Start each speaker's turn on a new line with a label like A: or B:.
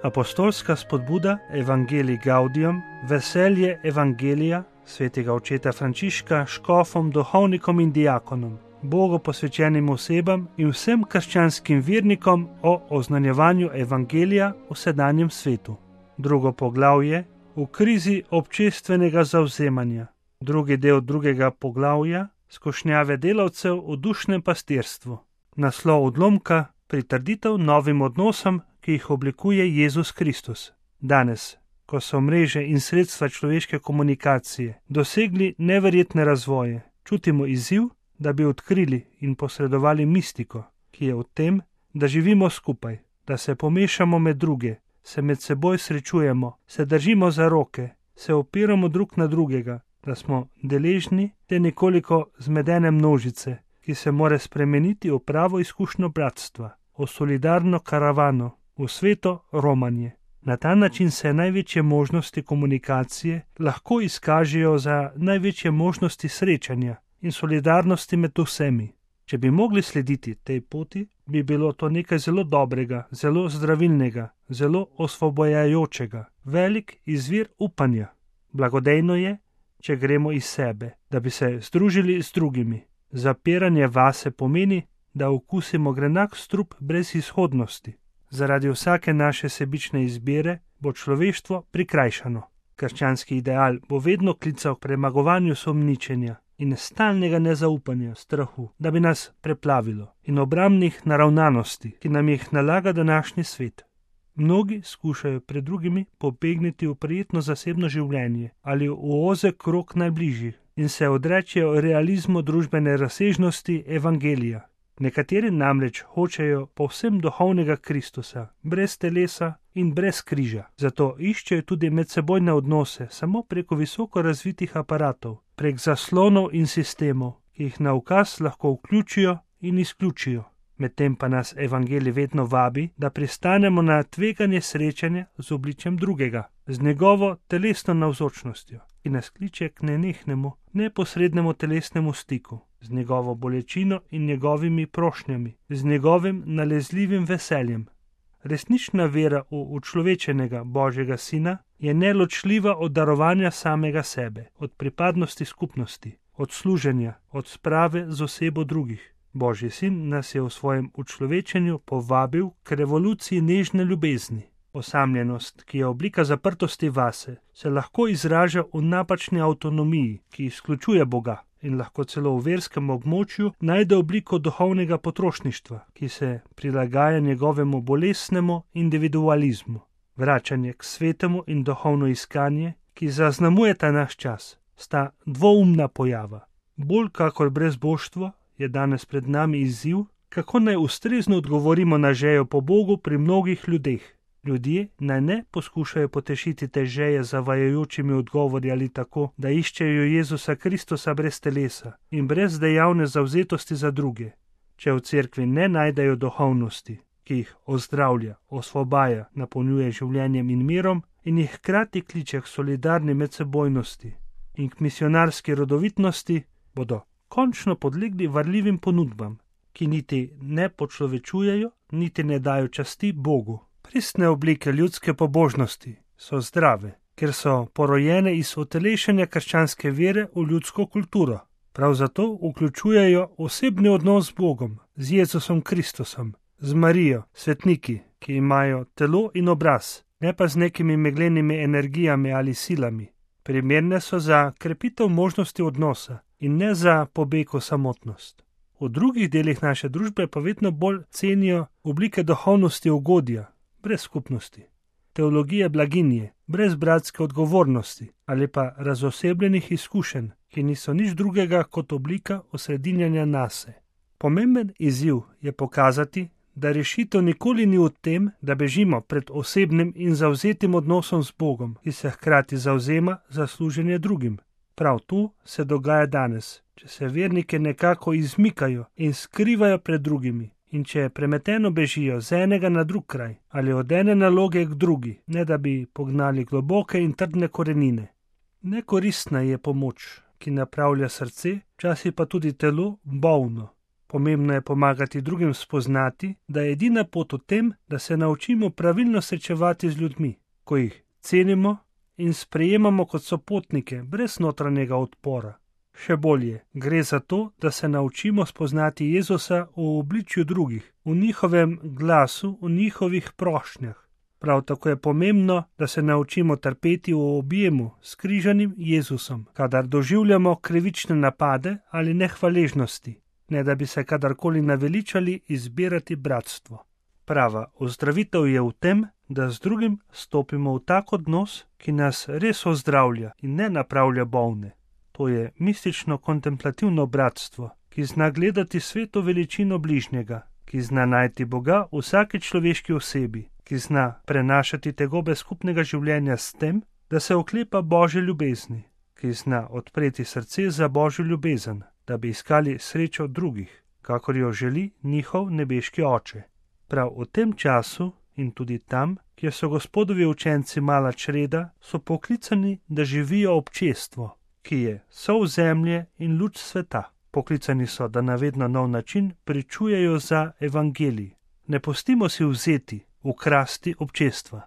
A: Apostolska spodbuda Evangelii Gaudium, veselje Evangelija svetega očeta Frančiška škofom, duhovnikom in diakonom, Bogu posvečenim osebam in vsem krščanskim vernikom o oznanjevanju Evangelija v sedanjem svetu. Drugo poglavje v krizi občestvenega zavzemanja. Drugi del drugega poglavja skušnjave delavcev v dušnem pastirstvu. Naslov odlomka pritrditev novim odnosom, ki jih oblikuje Jezus Kristus. Danes, ko so mreže in sredstva človeške komunikacije dosegli neverjetne razvoje, čutimo izziv, da bi odkrili in posredovali mistiko, ki je v tem, da živimo skupaj, da se pomešamo med druge, se med seboj srečujemo, se držimo za roke, se opiramo drug na drugega, da smo deležni te nekoliko zmedene množice, ki se more spremeniti v pravo izkušnjo bratstva, v solidarno karavano, v sveto romanje. Na ta način se največje možnosti komunikacije lahko izkažejo za največje možnosti srečanja in solidarnosti med vsemi. Če bi mogli slediti tej poti, bi bilo to nekaj zelo dobrega, zelo zdravilnega, zelo osvobojajočega, velik izvir upanja. Blagodejno je, če gremo iz sebe, da bi se združili z drugimi. Zapiranje vase pomeni, da okusimo grenak strup brez izhodnosti. Zaradi vsake naše sebične izbire bo človeštvo prikrajšano. Krščanski ideal bo vedno klical k premagovanju sumničenja in stalnega nezaupanja, strahu, da bi nas preplavilo, in obrambnih naravnanosti, ki nam jih nalaga današnji svet. Mnogi skušajo pred drugimi pobegniti v prijetno zasebno življenje ali v ozek krog najbližjih in se odrečejo realizmu družbene razsežnosti Evangelija. Nekateri namreč hočejo povsem duhovnega Kristusa, brez telesa in brez križa. Zato iščejo tudi medsebojne odnose samo preko visoko razvitih aparatov, prek zaslonov in sistemov, ki jih na ukaz lahko vključijo in izključijo. Medtem pa nas Evangelij vedno vabi, da pristanemo na tveganje srečanja z obličjem drugega, z njegovo telesno navzočnostjo, ki nas kliče k nenehnemu, neposrednemu telesnemu stiku, z njegovo bolečino in njegovimi prošnjami, z njegovim nalezljivim veseljem. Resnična vera v učlovečenega Božjega Sina je neločljiva od darovanja samega sebe, od pripadnosti skupnosti, od služenja, od sprave z osebo drugih. Božji Sin nas je v svojem učlovečenju povabil k revoluciji nežne ljubezni. Osamljenost, ki je oblika zaprtosti vase, se lahko izraža v napačni avtonomiji, ki izključuje Boga, in lahko celo v verskem območju najde obliko duhovnega potrošništva, ki se prilagaja njegovemu bolesnemu individualizmu. Vračanje k svetemu in duhovno iskanje, ki zaznamuje ta naš čas, sta dvoumna pojava. Bolj kakor brezboštvo je danes pred nami izziv, kako naj ustrezno odgovorimo na žejo po Bogu pri mnogih ljudeh. Ljudje naj ne poskušajo potešiti te žeje z zavajajočimi odgovori ali tako, da iščejo Jezusa Kristusa brez telesa in brez dejavne zavzetosti za druge. Če v cerkvi ne najdejo duhovnosti, ki jih ozdravlja, osvobaja, napolnjuje življenjem in mirom in jih hkrati kliče k solidarni medsebojnosti in k misionarski rodovitnosti, bodo končno podlegli varljivim ponudbam, ki niti ne počlovečujejo, niti ne dajo časti Bogu. Pristne oblike ljudske pobožnosti so zdrave, ker so porojene iz utelešenja krščanske vere v ljudsko kulturo. Prav zato vključujejo osebni odnos z Bogom, z Jezusom Kristusom, z Marijo, svetniki, ki imajo telo in obraz, ne pa z nekimi meglenimi energijami ali silami. Primerne so za krepitev možnosti odnosa in ne za pobeg v samotnost. V drugih delih naše družbe pa vedno bolj cenijo oblike duhovnosti ugodja, brez skupnosti, teologije blaginje, brez bratske odgovornosti ali pa razosebljenih izkušenj, ki niso nič drugega kot oblika osredinjanja nase. Pomemben izziv je pokazati, da rešitev nikoli ni v tem, da bežimo pred osebnim in zavzetim odnosom z Bogom, ki se hkrati zavzema za služenje drugim. Prav tu se dogaja danes, če se vernike nekako izmikajo in skrivajo pred drugimi, in če premeteno bežijo z enega na drug kraj ali od ene naloge k drugi, ne da bi pognali globoke in trdne korenine. Nekoristna je pomoč, ki napravlja srce, včasih pa tudi telo bolno. Pomembno je pomagati drugim spoznati, da je edina pot v tem, da se naučimo pravilno srečevati z ljudmi, ko jih cenimo in sprejemamo kot sopotnike brez notranjega odpora. Še bolje, gre za to, da se naučimo spoznati Jezusa v obličju drugih, v njihovem glasu, v njihovih prošnjah. Prav tako je pomembno, da se naučimo trpeti v objemu s križanim Jezusom, kadar doživljamo krivične napade ali nehvaležnosti, ne da bi se kadarkoli naveličali izbirati bratstvo. Prava ozdravitev je v tem, da z drugim stopimo v tak odnos, ki nas res ozdravlja in ne napravlja bolne. To je mistično kontemplativno bratstvo, ki zna gledati sveto veličino bližnjega, ki zna najti Boga v vsaki človeški osebi, ki zna prenašati tegobe skupnega življenja s tem, da se oklepa Božje ljubezni, ki zna odpreti srce za Božjo ljubezen, da bi iskali srečo drugih, kakor jo želi njihov nebeški Oče. Prav v tem času in tudi tam, kjer so Gospodovi učenci mala čreda, so poklicani, da živijo občestvo, ki je sol zemlje in luč sveta. Poklicani so, da na vedno nov način pričujejo za evangelij. Ne pustimo si vzeti, ukrasti občestva.